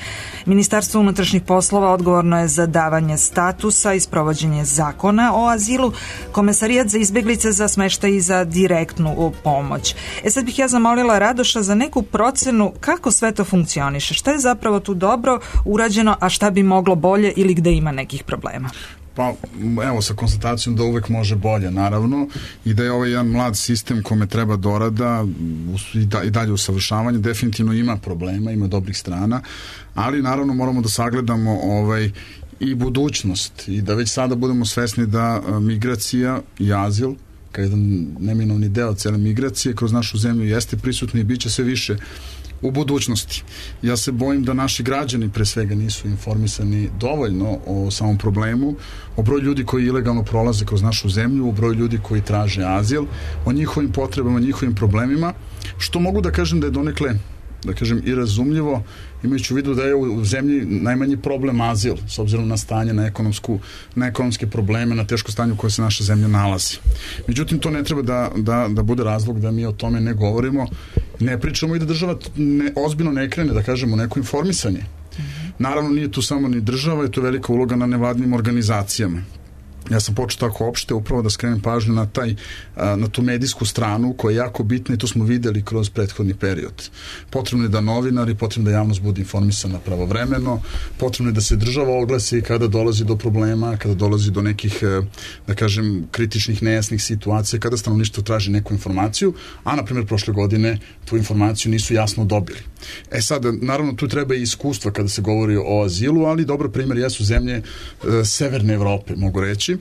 Speaker 1: Ministarstvo unutrašnjih poslova odgovorno je za davanje statusa i sprovođenje zakona o azilu, Komesarijat za izbeglice za smeštaj i za direktnu pomoć. Sad bih ja zamolila Radoša za neku procenu kako sve to funkcioniše, šta je zapravo tu dobro urađeno, a šta bi moglo bolje ili gde ima nekih problema.
Speaker 3: Pa evo, sa konstatacijom da uvek može bolje, naravno, i da je ovaj jedan mlad sistem kome treba dorada i dalje usavršavanje, definitivno ima problema, ima dobrih strana, ali naravno moramo da sagledamo i budućnost i da već sada budemo svesni da migracija i azil, kao jedan neminovni deo cele migracije, kroz našu zemlju jeste prisutni i bit će sve više u budućnosti. Ja se bojim da naši građani pre svega nisu informisani dovoljno o samom problemu, o broju ljudi koji ilegalno prolaze kroz našu zemlju, o broju ljudi koji traže azil, o njihovim potrebama, njihovim problemima, što mogu da kažem da je donekle da kažem, i razumljivo, imajući u vidu da je u zemlji najmanji problem azil, s obzirom na stanje, na ekonomske probleme, na teško stanje u kojoj se naša zemlja nalazi. Međutim, to ne treba da bude razlog da mi o tome ne govorimo, ne pričamo i da država ozbiljno ne krene, da kažemo, neko informisanje. Naravno, nije tu samo ni država, je to velika uloga na nevladnim organizacijama. Ja sam počeo tako opšte upravo da skrenem pažnju na tu medijsku stranu koja je jako bitna i to smo videli kroz prethodni period. Potrebno je da novinari, potrebno da javnost bude informisana pravovremeno, potrebno je da se država oglasi kada dolazi do problema, kada dolazi do nekih, da kažem, kritičnih, nejasnih situacija, kada stanovništvo traži neku informaciju, a na primjer prošle godine tu informaciju nisu jasno dobili. Sad, naravno, tu treba i iskustva kada se govori o azilu, ali dobar primjer jesu zemlje severne Evrope, mogu reći.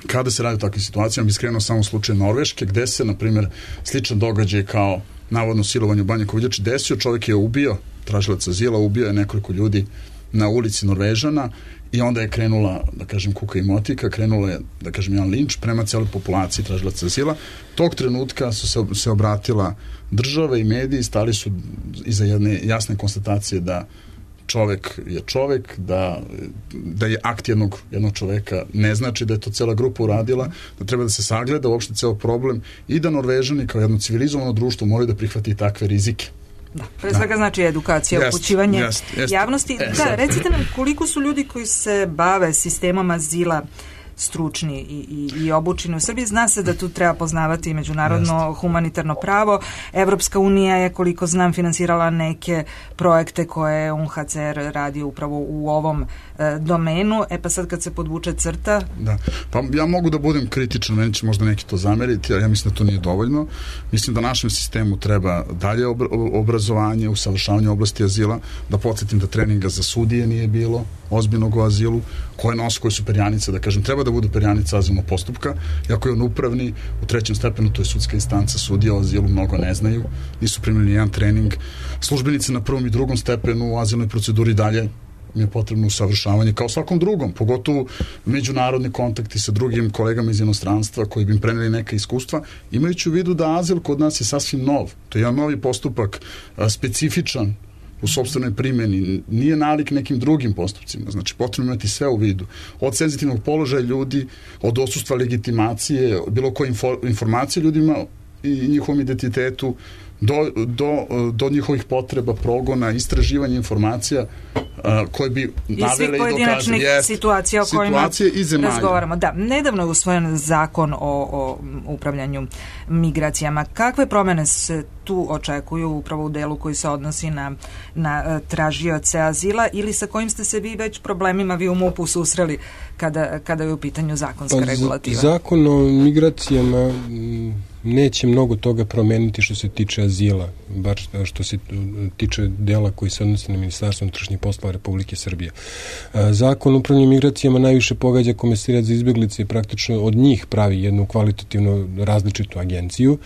Speaker 3: Kada se radi o takvim situacijama, bi skrenuo samo slučaj Norveške, gde se, na primjer, sličan događaj kao navodno silovanje u Banja Koviljači desio, čovjek je ubio, tražilac azila, ubio je nekoliko ljudi na ulici Norvežana i onda je krenula, da kažem, kuka i motika, krenula je, da kažem, jedan linč prema celoj populaciji tražilaca azila. Tog trenutka su se obratila država i mediji, stali su iza jedne jasne konstatacije da čovek je čovek, da je akt jednog čoveka ne znači da je to cela grupa uradila, da treba da se sagleda uopšte ceo problem i da Norvežani kao jedno civilizovano društvo moraju da prihvati takve rizike.
Speaker 1: Da, pre svega znači edukacija, upućivanje javnosti. Da, recite nam koliko su ljudi koji se bave sistemom azila stručni i obučeni u Srbiji. Zna se da tu treba poznavati međunarodno humanitarno pravo. Evropska unija je, koliko znam, finansirala neke projekte koje je UNHCR radi upravo u ovom domenu. Pa sad kad se podvuče crta...
Speaker 3: Da, pa ja mogu da budem kritičan, meni će možda neki to zameriti, ali ja mislim da to nije dovoljno. Mislim da našem sistemu treba dalje obrazovanje, usavršavanje oblasti azila, da podsjetim da treninga za sudije nije bilo, ozbiljnog o azilu, koje su perjanice, da kažem, treba da budu perjanica azilnog postupka, iako je on upravni, u 3. stepenu, to je sudska instanca, sudija o azilu mnogo ne znaju, nisu primili jedan trening. Službenici na 1. i 2. stepenu u azilnoj proceduri dalje mi je potrebno usavršavanje kao svakom drugom, pogotovo međunarodni kontakti sa drugim kolegama iz inostranstva koji bi im preneli neka iskustva, imajući u vidu da azil kod nas je sasvim nov. To je jedan novi postupak, specifičan u sopstvenoj primjeni, nije nalik nekim drugim postupcima. Znači, potrebno imati sve u vidu. Od senzitivnog položaja ljudi, od odsustva legitimacije, bilo koje informacije ljudima i njihovom identitetu, do njihovih potreba, progona, istraživanja informacija koje bi navele i
Speaker 1: pojedinačnih situacija o kojima razgovaramo. Da, nedavno je usvojen zakon o upravljanju migracijama. Kakve promene se tu očekuju upravo u delu koji se odnosi na tražioce azila ili sa kojim ste se vi već problemima vi u MUP-u susreli kada je u pitanju zakonska regulativa?
Speaker 2: Zakon o migracijama neće mnogo toga promeniti što se tiče azila, bar što se tiče dela koji se odnosi na Ministarstvo unutrašnjih poslova Republike Srbije. Zakon o upravljanju migracijama najviše pogađa Komesarijat za izbeglice i praktično od njih pravi jednu kvalitativno različitu agenciju.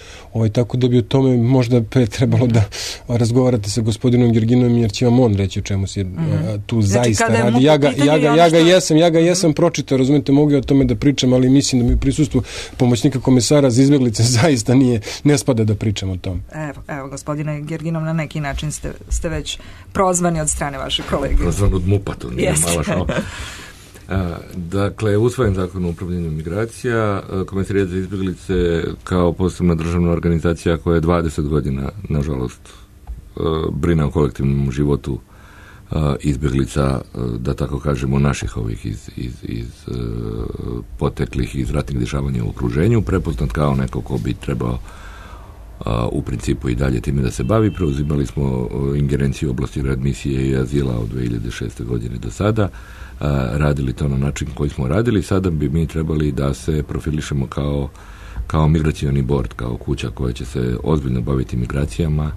Speaker 2: Tako da bi o tome možda trebalo da razgovarate sa gospodinom Gerginovom, jer će vam on reći o čemu se tu zaista radi. Ja ga jesam pročitao, razumete, mogu o tome da pričam, ali mislim da mi u prisustvu pomoćnika komesara za izbeglice zaista ne spada da pričam o tom.
Speaker 1: Evo, gospodine Gerginov, na neki način ste već prozvani od strane vašeg kolege.
Speaker 4: Prozvan od MUP-a, to nije mala šala. Dakle, usvojen zakon o upravljanju migracija, Komesarijat za izbeglice kao posebna državna organizacija koja je 20 godina, nažalost, brine o kolektivnom životu izbeglica, da tako kažemo, naših ovih iz poteklih iz ratnih dešavanja u okruženju, prepoznat kao neko ko bi trebao u principu i dalje time da se bavi. Preuzimali smo ingerenciju oblasti readmisije i azila od 2006. godine do sada, radili to na način koji smo radili. Sada bi mi trebali da se profilišemo kao migracioni bord, kao kuća koja će se ozbiljno baviti migracijama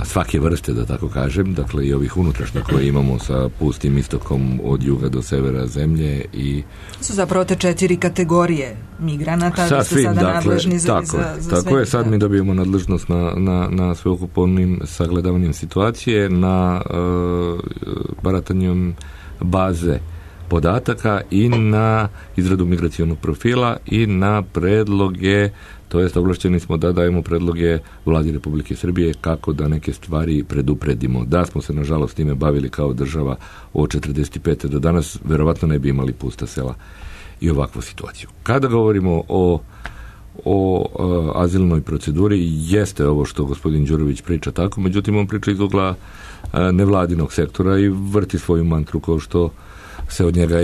Speaker 4: svake vrste, da tako kažem, dakle i ovih unutrašnjih koje imamo sa pustim istokom od juga do severa zemlje i... Su
Speaker 1: zapravo te 4 kategorije migranata, da ste sada nadležni za
Speaker 4: tako je, sad mi dobijemo nadležnost na sveukupnim sagledavanjem situacije, na baratanjem baze podataka i na izradu migracionog profila i na predloge, to jest ovlašćeni smo da dajemo predloge Vladi Republike Srbije kako da neke stvari predupredimo. Da smo se nažalost time bavili kao država od 45. do danas, verovatno ne bi imali pusta sela i ovakvu situaciju. Kada govorimo o azilnoj proceduri, jeste ovo što gospodin Đurović priča tako, međutim on priča iz ugla nevladinog sektora i vrti svoju mantru kao što se od njega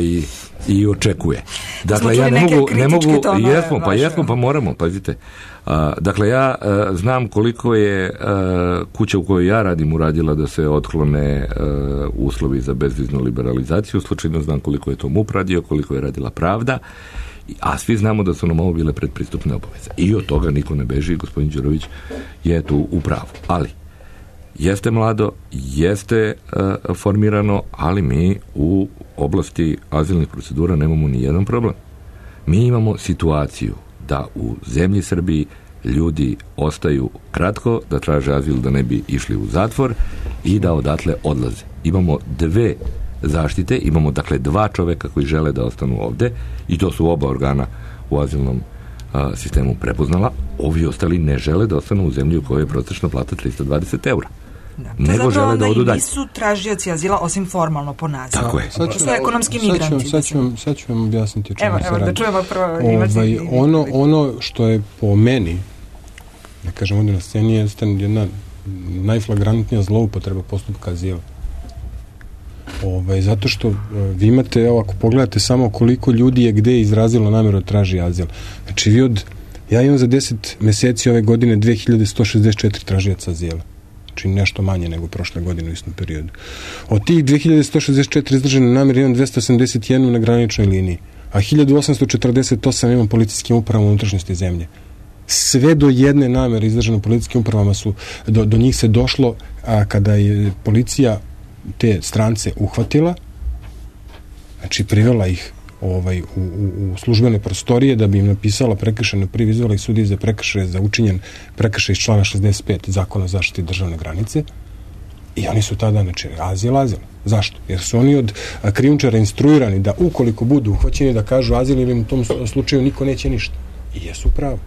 Speaker 4: i očekuje. Dakle, ja ne mogu jesmo, pa moramo, pazite. Dakle, ja znam koliko je kuća u kojoj ja radim uradila da se otklone uslovi za bezviznu liberalizaciju, slučajno znam koliko je to MUP radio, koliko je radila Pravda, a svi znamo da su nam ovo bile predpristupne obaveze. I od toga niko ne beži, gospodin Đurović je tu u pravu. Ali, jeste mlado, jeste formirano, ali mi u oblasti azilnih procedura nemamo ni jedan problem. Mi imamo situaciju da u zemlji Srbiji ljudi ostaju kratko, da traže azil da ne bi išli u zatvor i da odatle odlaze. Imamo dve zaštite, imamo dakle dva čoveka koji žele da ostanu ovde i to su oba organa u azilnom sistemu prepoznala. Ovi ostali ne žele da ostanu u zemlji u kojoj je prosječna plata 320 eura. Nego žele da odu dalje.
Speaker 1: Nisu tražioci azila osim formalno po nazivu.
Speaker 4: Tako je.
Speaker 1: To su ekonomski migranti.
Speaker 2: Sad ću vam objasniti o čemu se radi.
Speaker 1: Evo, da čujemo prvo.
Speaker 2: Ono što je po meni, da kažem ovdje na sceni, je jedna najflagrantnija zloupotreba postupka azila. Zato što vi imate, evo, ako pogledate samo koliko ljudi je gde izrazilo namjeru da traži azil. Znači, ja imam za 10 meseci ove godine 2164 tražioca azila. Znači nešto manje nego prošle godine u istom periodu. Od tih 2164 izražene namjere imam 281 na graničnoj liniji, a 1848 imam policijskim upravama unutrašnjosti zemlje. Sve do jedne namjere izražene policijskim upravama su, do njih se došlo kada je policija te strance uhvatila, znači privela ih u službene prostorije da bi im napisala prekršajnu prijavu, izvela ih sudije za prekršaj za učinjen prekršaj iz člana 65 Zakona o zaštiti državne granice i oni su tada, znači, azil. Zašto? Jer su oni od krijumčara instruirani da ukoliko budu uhvaćeni da kažu azil ili u tom slučaju niko neće ništa. I jesu pravo.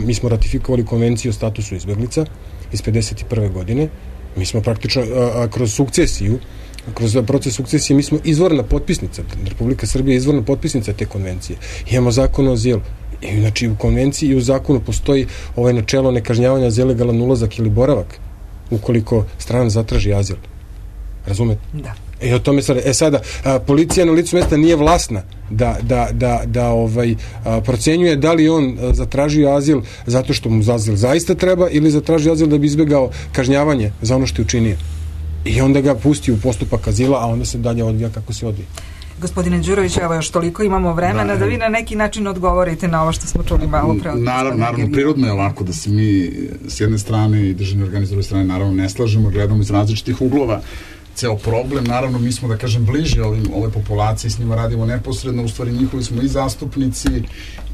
Speaker 2: Mi smo ratifikovali konvenciju o statusu izbeglica iz 51. godine. Mi smo praktično kroz sukcesiju, kroz proces sukcesije, mi smo izvorna potpisnica, Republika Srbija je izvorna potpisnica te konvencije. Imamo zakon o azilu. I znači u konvenciji i u zakonu postoji načelo nekažnjavanja za ilegalan ulazak ili boravak ukoliko strana zatraži azil. Razumete?
Speaker 1: Da.
Speaker 2: O tome sada, policija na licu mesta nije vlasna da procenjuje da li on zatražio azil zato što mu azil zaista treba ili zatražio azil da bi izbegao kažnjavanje za ono što je učinio. I onda ga pusti u postupak azila, a onda se dalje odvija kako se odvija.
Speaker 1: Gospodine Đurović, evo još toliko imamo vremena da vi na neki način odgovorite na ovo što smo čuli malo pre.
Speaker 3: Naravno, prirodno je ovako da se mi s jedne strane i državni organi s druge strane naravno ne slažemo, gledamo iz različitih uglova ceo problem. Naravno, mi smo, da kažem, bliži ove populacije, s njima radimo neposredno, u stvari njihovi smo i zastupnici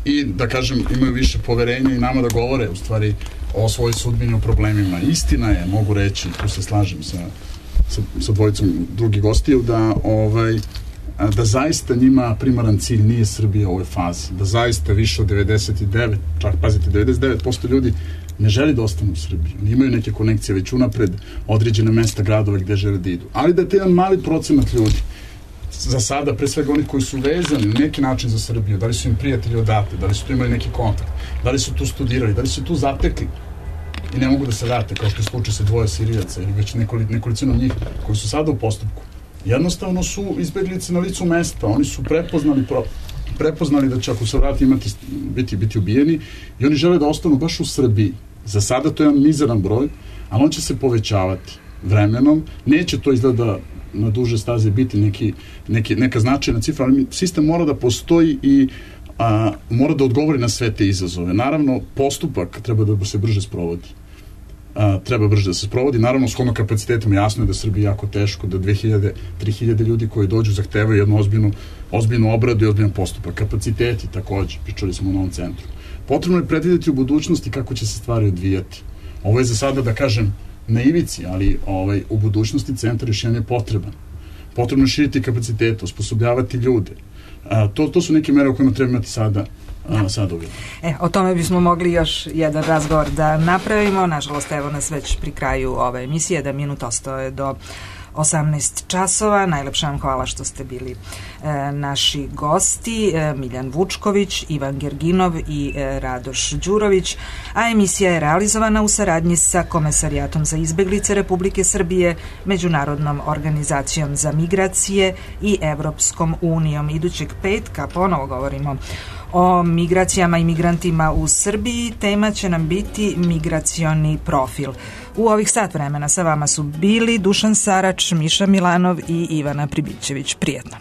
Speaker 3: i, da kažem, imaju više poverenja i nama da govore, u stvari, o svojoj sudbini, o problemima. Istina je, mogu reći, tu se slažem sa dvojicom drugih gostiju, da zaista njima primaran cilj nije Srbija u ovoj fazi, da zaista više od 99, čak pazite, 99% ljudi ne želi da ostanu u Srbiji. Oni imaju neke konekcije već unapred, određene mesta, gradove gde žele da idu. Ali da je jedan mali procenat ljudi, za sada, pre svega oni koji su vezani na neki način za Srbiju, da li su im prijatelji odate, da li su tu imali neki kontakt, da li su tu studirali, da li su tu zatekli i ne mogu da se vrate, kao što je slučaj sa dvoje Sirijaca ili već nekolicino njih koji su sada u postupku. Jednostavno su izbeglice na licu mesta, oni su prepoznali da će ako se vrati biti ubijeni i oni žele da ostanu baš u Srbiji. Za sada to je jedan mizeran broj, ali on će se povećavati vremenom. Neće to izgleda na duže staze biti neka značajna cifra, ali sistem mora da postoji i mora da odgovori na sve te izazove. Naravno, postupak treba da se brže sprovodi. Naravno, shodno kapacitetom jasno je da Srbiji jako teško, da 2000-3000 ljudi koji dođu zahtevaju jednu ozbiljnu obradu i ozbiljan postupak. Kapaciteti takođe, pričali smo o novom centru. Potrebno je predvideti u budućnosti kako će se stvari odvijati. Ovo je za sada, da kažem, na ivici, ali u budućnosti centar još jedan je potreban. potrebno širiti kapacitete, osposobljavati ljude. To su neke mere o kojima treba imati sada uvijek.
Speaker 1: O tome bismo mogli još jedan razgovor da napravimo. Nažalost, evo nas već pri kraju ove emisije, da minut ostaje do 18 časova. Najlepša vam hvala što ste bili naši gosti, Miljan Vučković, Ivan Gerginov i Radoš Đurović, a emisija je realizovana u saradnji sa Komesarijatom za izbeglice Republike Srbije, Međunarodnom organizacijom za migracije i Evropskom unijom. Idućeg petka ponovo govorimo o migracijama i migrantima u Srbiji. Tema će nam biti migracioni profil. U ovih sat vremena sa vama su bili Dušan Sarač, Miša Milanov i Ivana Pribićević. Prijetno.